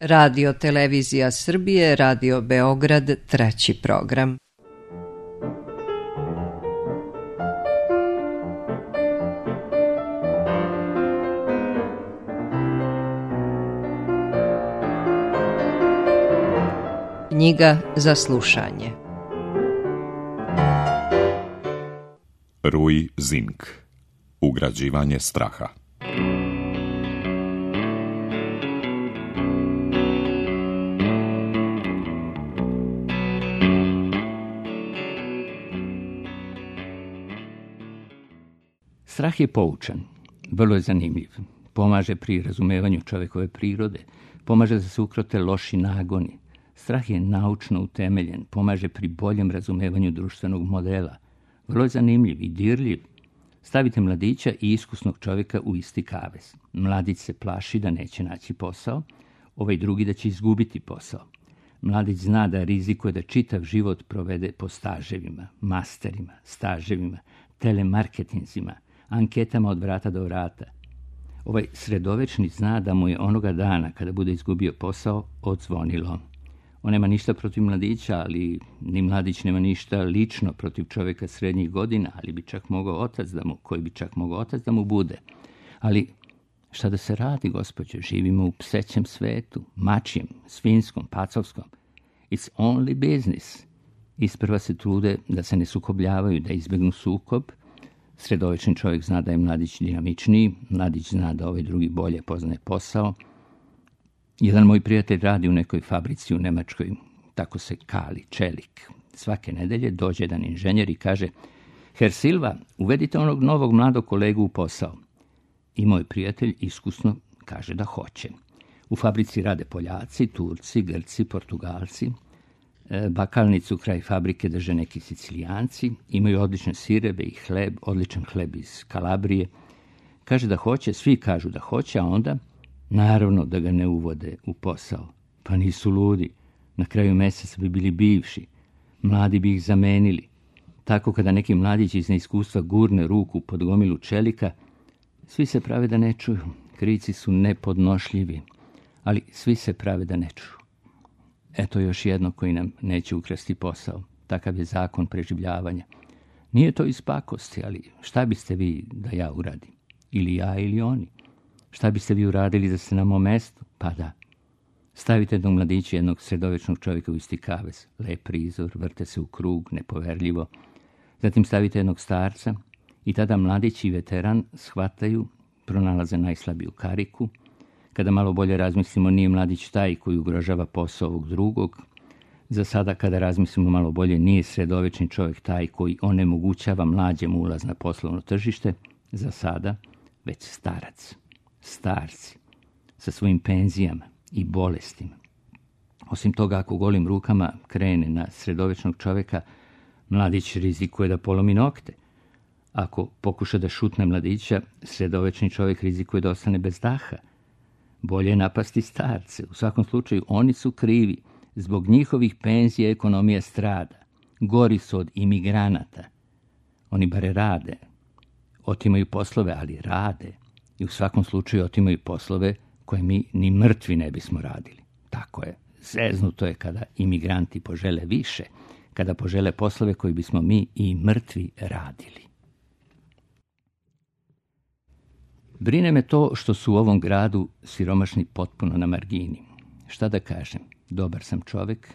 Radio Televizija Srbije, Radio Beograd, treći program. Knjiga za slušanje. Rui Zink. Ugrađivanje straha. Strah je poučan, vrlo je zanimljiv, pomaže pri razumevanju čovjekove prirode, pomaže da se ukrote loši nagoni. Strah je naučno utemeljen, pomaže pri boljem razumevanju društvenog modela. Vrlo je zanimljiv i dirljiv. Stavite mladića i iskusnog čovjeka u isti kavez. Mladić se plaši da neće naći posao, ovaj drugi da će izgubiti posao. Mladić zna da rizikuje da čitav život provede po staževima, masterima, staževima, telemarketinzima, anketama od vrata do vrata. Ovaj sredovečni zna da mu je onoga dana, kada bude izgubio posao, odzvonilo. On nema ništa protiv mladića, ali ni mladić nema ništa lično protiv čovjeka srednjih godina, koji bi čak mogao otac da mu bude. Ali šta da se radi, gospođo? Živimo u psećem svetu, mačijem, svinjskom, pacovskom. It's only business. Isprva se trude da se ne sukobljavaju, da izbjegnu sukob. Sredovečni čovjek zna da je mladić dinamičniji, mladić zna da ovaj drugi bolje poznaje posao. Jedan moj prijatelj radi u nekoj fabrici u Nemačkoj, tako se kali, čelik. Svake nedelje dođe jedan inženjer i kaže: Herr Silva, uvedite onog novog mladog kolegu u posao. I moj prijatelj iskusno kaže da hoće. U fabrici rade Poljaci, Turci, Grci, Portugalci. Bakalnicu kraj fabrike drže neki Sicilijanci, imaju odlične sireve i hleb, odličan hleb iz Kalabrije. Kaže da hoće, svi kažu da hoće, a onda naravno da ga ne uvode u posao. Pa nisu ludi, na kraju mjeseca bi bili bivši, mladi bi ih zamenili. Tako kada neki mladić iz neiskustva gurne ruku pod gomilu čelika, svi se prave da ne čuju, krici su nepodnošljivi, ali svi se prave da ne čuju. Eto još jedno koji nam neće ukrasti posao. Takav je zakon preživljavanja. Nije to iz pakosti, ali šta biste vi da ja uradim? Ili ja ili oni? Šta biste vi uradili da ste na mom mestu? Pa da. Stavite jednog mladića, jednog sredovečnog čovjeka u isti kavez. Lep prizor, vrte se u krug, nepoverljivo. Zatim stavite jednog starca i tada mladić i veteran shvataju, pronalaze najslabiju kariku. Kada malo bolje razmislimo, nije mladić taj koji ugrožava posao ovog drugog. Za sada, kada razmislimo malo bolje, nije sredovečni čovjek taj koji onemogućava mlađem ulaz na poslovno tržište. Za sada, već starac. Starci, sa svojim penzijama i bolestima. Osim toga, ako golim rukama krene na sredovečnog čovjeka, mladić rizikuje da polomi nokte. Ako pokuša da šutne mladića, sredovečni čovjek rizikuje da ostane bez daha. Bolje je napasti starce. U svakom slučaju, oni su krivi. Zbog njihovih penzija ekonomija strada. Gori su od imigranata. Oni bare rade. Otimaju poslove, ali rade. I u svakom slučaju otimaju poslove koje mi ni mrtvi ne bismo radili. Tako je. Zeznuto je kada imigranti požele više, kada požele poslove koje bismo mi i mrtvi radili. Brine me to što su u ovom gradu siromašni potpuno na margini. Šta da kažem, dobar sam čovjek.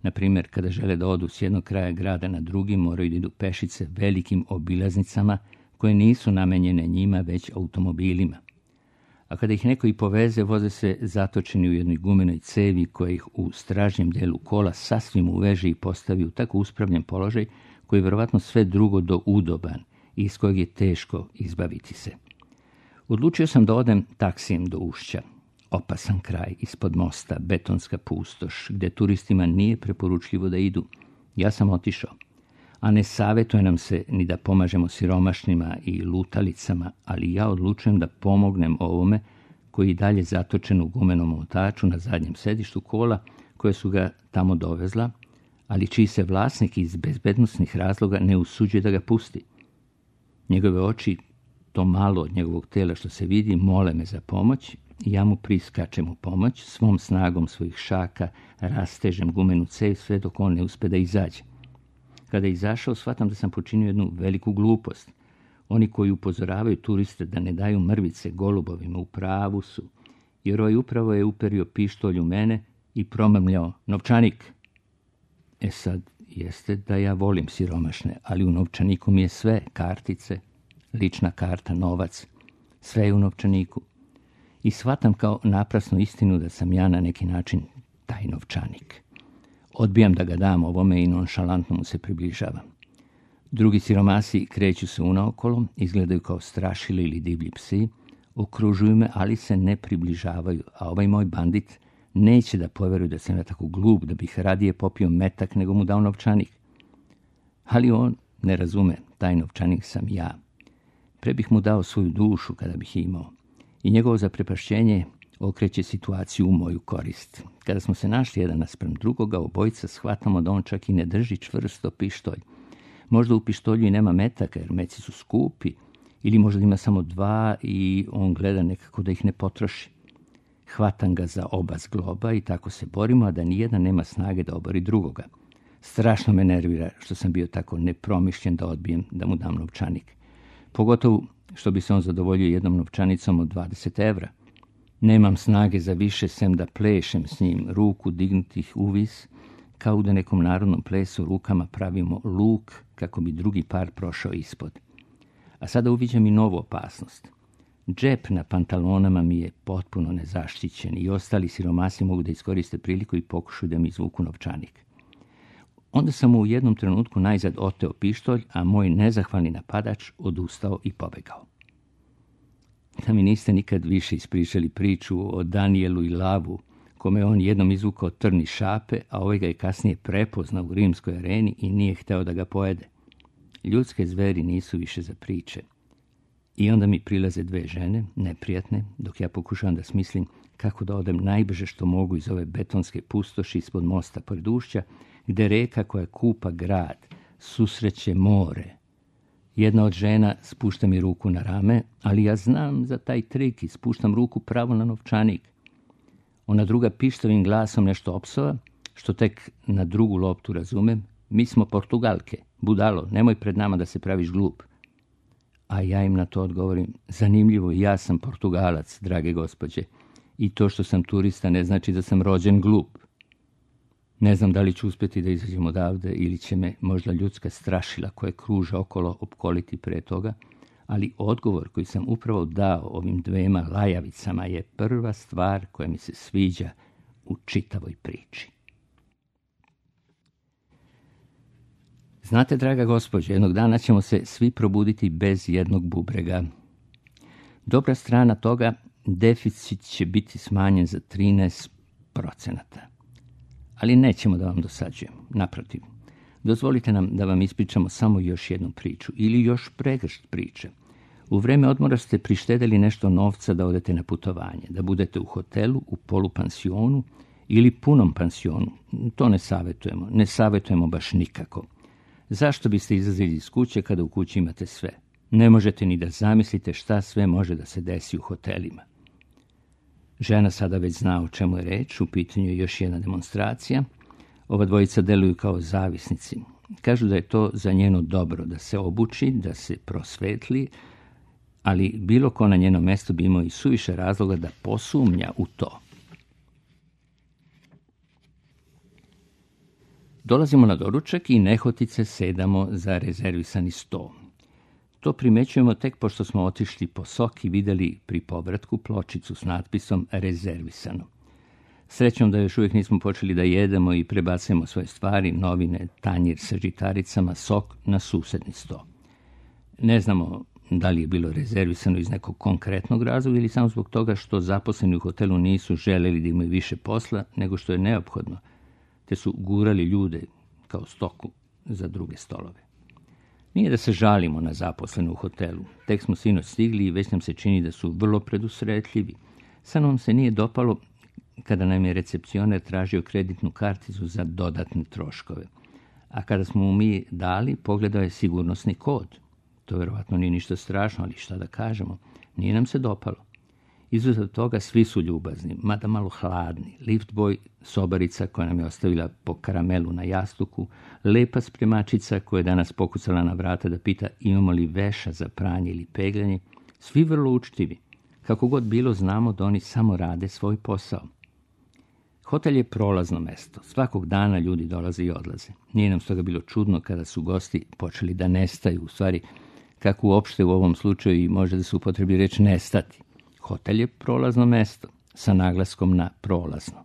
Na primjer, kada žele da odu s jednog kraja grada na drugi, moraju da idu pešice velikim obilaznicama koje nisu namenjene njima, već automobilima. A kada ih neko i poveze, voze se zatočeni u jednoj gumenoj cevi koja ih u stražnjem delu kola sasvim uveže i postavi u tako uspravljen položaj koji je vjerovatno sve drugo do udoban i iz kojeg je teško izbaviti se. Odlučio sam da odem taksijem do Ušća. Opasan kraj, ispod mosta, betonska pustoš, gdje turistima nije preporučljivo da idu. Ja sam otišao. A ne savjetuje nam se ni da pomažemo siromašnima i lutalicama, ali ja odlučujem da pomognem ovome koji je dalje zatočen u gumenom omotaču na zadnjem sedištu kola koje su ga tamo dovezla, ali čiji se vlasnik iz bezbednosnih razloga ne usuđuje da ga pusti. Njegove oči, to malo od njegovog tela što se vidi, mole me za pomoć Ja mu priskačem u pomoć, svom snagom svojih šaka rastežem gumenu cev sve dok on ne uspe da izađe. Kada je izašao, shvatam da sam počinio jednu veliku glupost. Oni koji upozoravaju turiste da ne daju mrvice golubovima u pravu su, jer ovaj upravo je uperio pištolj u mene i promrmljao: novčanik. Sad, jeste da ja volim siromašne, ali u novčaniku mi je sve, kartice, lična karta, novac, sve je u novčaniku. I shvatam kao naprasnu istinu da sam ja na neki način taj novčanik. Odbijam da ga dam ovome i nonšalantno mu se približavam. Drugi siromasi kreću se unaokolo, izgledaju kao strašili ili divlji psi, okružuju me, ali se ne približavaju, a ovaj moj bandit neće da poveruje da sam ja tako glup da bih radije popio metak nego mu dao novčanik. Ali on ne razume, taj novčanik sam ja. Pre bih mu dao svoju dušu kada bih imao. I njegovo zaprepašćenje okreće situaciju u moju korist. Kada smo se našli jedan naspram drugoga, obojica shvatamo da on čak i ne drži čvrsto pištolj. Možda u pištolju i nema metaka, jer meci su skupi, ili možda ima samo 2 i on gleda nekako da ih ne potroši. Hvatam ga za oba zgloba i tako se borimo, a da nijedan nema snage da obori drugoga. Strašno me nervira što sam bio tako nepromišljen da odbijem da mu dam novčanik. Pogotovo što bi se on zadovoljio jednom novčanicom od 20 evra. Nemam snage za više, sem da plešem s njim, ruku dignutih uvis, kao da nekom narodnom plesu rukama pravimo luk kako bi drugi par prošao ispod. A sada uviđam i novu opasnost. Džep na pantalonama mi je potpuno nezaštićen i ostali siromasi mogu da iskoriste priliku i pokušaju da mi izvuku novčanik. Onda sam mu u jednom trenutku najzad oteo pištolj, a moj nezahvalni napadač odustao i pobegao. Da mi niste nikad više ispričali priču o Danielu i Lavu, kome on jednom izvukao trn iz šape, a ovaj ga je kasnije prepoznao u rimskoj areni i nije hteo da ga pojede. Ljudske zveri nisu više za priče. I onda mi prilaze 2 žene, neprijatne, dok ja pokušavam da smislim kako da odem najbrže što mogu iz ove betonske pustoši ispod mosta pored ušća, gde reka koja kupa grad susreće more. Jedna od žena spušta mi ruku na rame, ali ja znam za taj trik i spuštam ruku pravo na novčanik. Ona druga pištavim glasom nešto opsova, što tek na drugu loptu razumem: mi smo Portugalke, budalo, nemoj pred nama da se praviš glup. A ja im na to odgovorim: zanimljivo, ja sam Portugalac, drage gospođe, i to što sam turista ne znači da sam rođen glup. Ne znam da li ću uspjeti da izađem odavde ili će me možda ljudska strašila koje kruže okolo opkoliti pre toga, ali odgovor koji sam upravo dao ovim 2 lajavicama je prva stvar koja mi se sviđa u čitavoj priči. Znate, draga gospođo, jednog dana ćemo se svi probuditi bez jednog bubrega. Dobra strana toga, deficit će biti smanjen za 13%. Ali nećemo da vam dosađujemo, naprotiv. Dozvolite nam da vam ispričamo samo još jednu priču ili još pregršt priče. U vreme odmora ste prištedeli nešto novca da odete na putovanje, da budete u hotelu, u polupansionu ili punom pansionu. To ne savjetujemo baš nikako. Zašto biste izlazili iz kuće kada u kući imate sve? Ne možete ni da zamislite šta sve može da se desi u hotelima. Žena sada već zna o čemu je reč, u pitanju je još jedna demonstracija. Ova dvojica deluju kao zavisnici. Kažu da je to za njeno dobro, da se obuči, da se prosvetli, ali bilo ko na njeno mesto bi imao i suviše razloga da posumnja u to. Dolazimo na doručak i nehotice sedamo za rezervisani sto. To primećujemo tek pošto smo otišli po sok i vidjeli pri povratku pločicu s natpisom rezervisano. Srećom da još uvijek nismo počeli da jedemo i prebacujemo svoje stvari, novine, tanjir sa žitaricama, sok na susedni sto. Ne znamo da li je bilo rezervisano iz nekog konkretnog razloga ili samo zbog toga što zaposleni u hotelu nisu želeli da imaju više posla nego što je neophodno, te su gurali ljude kao stoku za druge stolove. Nije da se žalimo na zaposlene u hotelu. Tek smo sinoć stigli i već nam se čini da su vrlo predusretljivi. Samo nam se nije dopalo kada nam je recepcioner tražio kreditnu karticu za dodatne troškove. A kada smo mu mi dali, pogledao je sigurnosni kod. To vjerovatno nije ništa strašno, ali šta da kažemo, nije nam se dopalo. Izuzev toga svi su ljubazni, mada malo hladni. Liftboj, sobarica koja nam je ostavila po karamelu na jastuku, lepa spremačica koja je danas pokucala na vrata da pita imamo li veša za pranje ili peglanje, svi vrlo učtivi. Kako god bilo, znamo da oni samo rade svoj posao. Hotel je prolazno mesto. Svakog dana ljudi dolaze i odlaze. Nije nam stoga bilo čudno kada su gosti počeli da nestaju. U stvari, kako uopšte u ovom slučaju i može da se upotrebi reč nestati. Hotel je prolazno mesto, sa naglaskom na prolazno.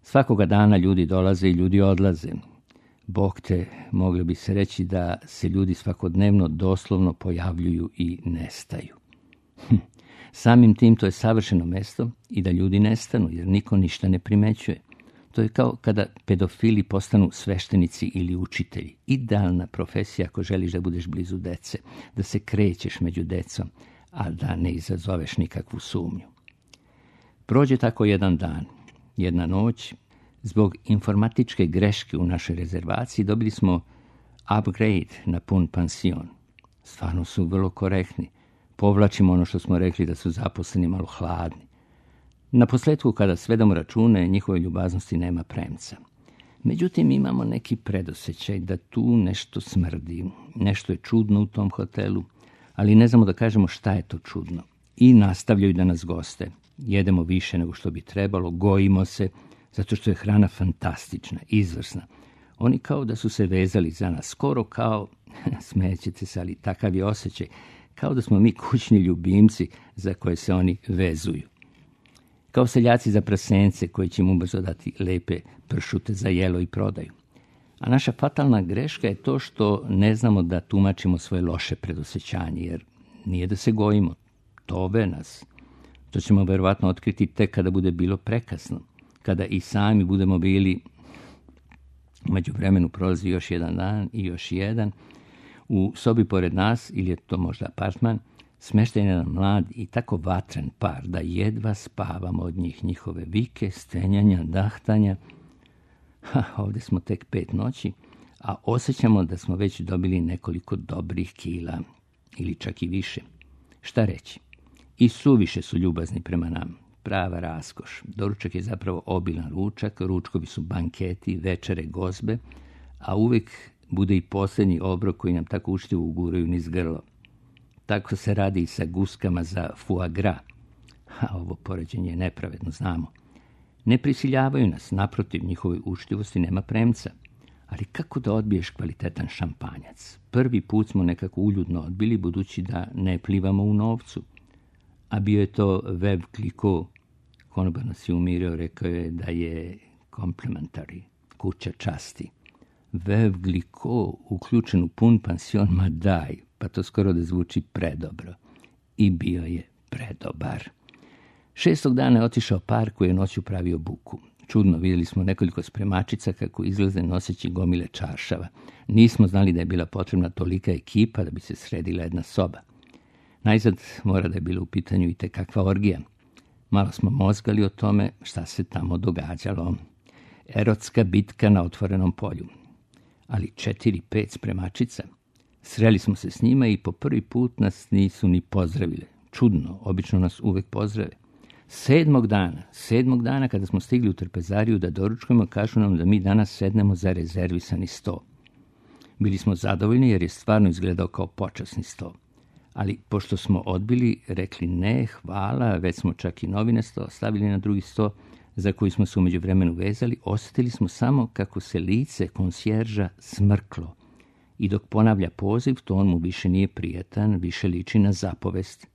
Svakoga dana ljudi dolaze i ljudi odlaze. Bog te, moglo bi se reći da se ljudi svakodnevno doslovno pojavljuju i nestaju. Samim tim to je savršeno mesto i da ljudi nestanu, jer niko ništa ne primećuje. To je kao kada pedofili postanu sveštenici ili učitelji. Idealna profesija ako želiš da budeš blizu dece, da se krećeš među decom, a da ne izazoveš nikakvu sumnju. Prođe tako jedan dan, jedna noć. Zbog informatičke greške u našoj rezervaciji dobili smo upgrade na pun pansion. Stvarno su vrlo korektni. Povlačimo ono što smo rekli da su zaposleni malo hladni. Na posletku, kada svedamo račune, njihove ljubaznosti nema premca. Međutim, imamo neki predosjećaj da tu nešto smrdi, nešto je čudno u tom hotelu, ali ne znamo da kažemo šta je to čudno. I nastavljaju da nas goste. Jedemo više nego što bi trebalo, gojimo se, zato što je hrana fantastična, izvrsna. Oni kao da su se vezali za nas, skoro kao, smećete se, ali takav je osjećaj, kao da smo mi kućni ljubimci za koje se oni vezuju. Kao seljaci za prasence koji će im ubrzo dati lepe pršute za jelo i prodaju. A naša fatalna greška je to što ne znamo da tumačimo svoje loše predosjećanje, jer nije da se gojimo, tove nas. To ćemo verovatno otkriti tek kada bude bilo prekasno, kada i sami budemo bili, u međuvremenu prolazi još jedan dan i još jedan, u sobi pored nas, ili je to možda apartman, smešten je jedan mlad i tako vatren par da jedva spavamo od njihove vike, stenjanja, dahtanja. Ovdje smo tek 5 noći, a osjećamo da smo već dobili nekoliko dobrih kila, ili čak i više. Šta reći? I suviše su ljubazni prema nama. Prava raskoš. Doručak je zapravo obilan ručak, ručkovi su banketi, večere, gozbe, a uvijek bude i posljednji obrok koji nam tako učtivo uguraju niz grlo. Tako se radi i sa guskama za foie gras. Ovo poređenje je nepravedno, znamo. Ne prisiljavaju nas, naprotiv, njihovoj učtivosti nema premca. Ali kako da odbiješ kvalitetan šampanjac? Prvi put smo nekako uljudno odbili, budući da ne plivamo u novcu. A bio je to Veuve Clicquot. Konobar nas je umirio, rekao je da je complimentary, kuća časti. Veuve Clicquot uključen u pun pansion, ma daj, pa to skoro da zvuči predobro. I bio je predobar. 6. dana je otišao par koji je noću pravio buku. Čudno, vidjeli smo nekoliko spremačica kako izlaze noseći gomile čaršava. Nismo znali da je bila potrebna tolika ekipa da bi se sredila jedna soba. Najzad mora da je bilo u pitanju i tekakva orgija. Malo smo mozgali o tome šta se tamo događalo. Erotska bitka na otvorenom polju. Ali 4-5 spremačica. Sreli smo se s njima i po prvi put nas nisu ni pozdravile. Čudno, obično nas uvek pozdrave. 7. dana kada smo stigli u trpezariju da doručkujemo, kažu nam da mi danas sednemo za rezervisani sto. Bili smo zadovoljni jer je stvarno izgledao kao počasni sto. Ali pošto smo odbili, rekli ne, hvala, već smo čak i novine stavili na drugi sto, za koji smo se u međuvremenu vezali, osjetili smo samo kako se lice konsjerža smrklo. I dok ponavlja poziv, to on mu više nije prijatan, više liči na zapovest.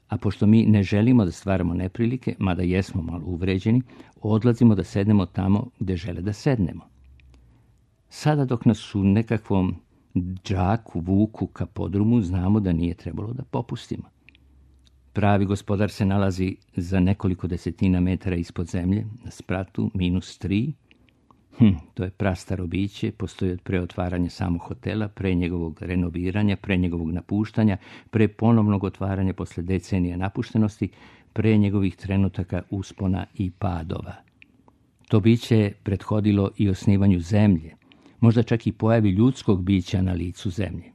A pošto mi ne želimo da stvaramo neprilike, mada jesmo malo uvređeni, odlazimo da sednemo tamo gde žele da sednemo. Sada dok nas u nekakvom džaku vuku ka podrumu, znamo da nije trebalo da popustimo. Pravi gospodar se nalazi za nekoliko desetina metara ispod zemlje, na spratu -3. To je prastaro biće, postoji od pre otvaranja samog hotela, pre njegovog renoviranja, pre njegovog napuštanja, pre ponovnog otvaranja posle decenija napuštenosti, pre njegovih trenutaka uspona i padova. To biće je prethodilo i osnivanju zemlje, možda čak i pojavi ljudskog bića na licu zemlje.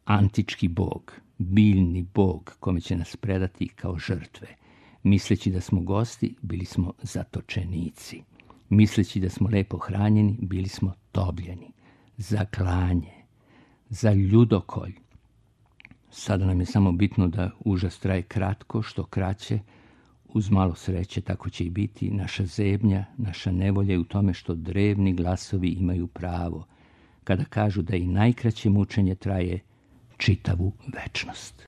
Antički bog, biljni bog kome će nas predati kao žrtve. Misleći da smo gosti, bili smo zatočenici. Misleći da smo lepo hranjeni, bili smo tobljeni. Za klanje, za ljudokolj. Sada nam je samo bitno da užas traje kratko, što kraće, uz malo sreće, tako će i biti naša zebnja, naša nevolja u tome što drevni glasovi imaju pravo, kada kažu da i najkraće mučenje traje čitavu večnost.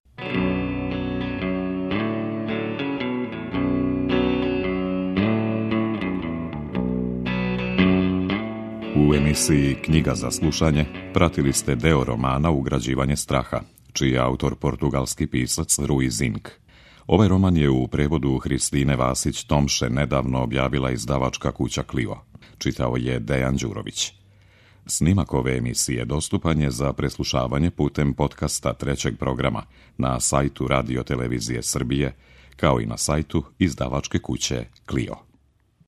U emisiji Knjiga za slušanje pratili ste deo romana Ugrađivanje straha, čiji je autor portugalski pisac Rui Zinck. Ovaj roman je u prevodu Hristine Vasić-Tomše nedavno objavila izdavačka kuća Clio. Čitao je Dejan Đurović. Snimak ove emisije dostupan je za preslušavanje putem podcasta trećeg programa na sajtu Radio Televizije Srbije, kao i na sajtu izdavačke kuće Clio.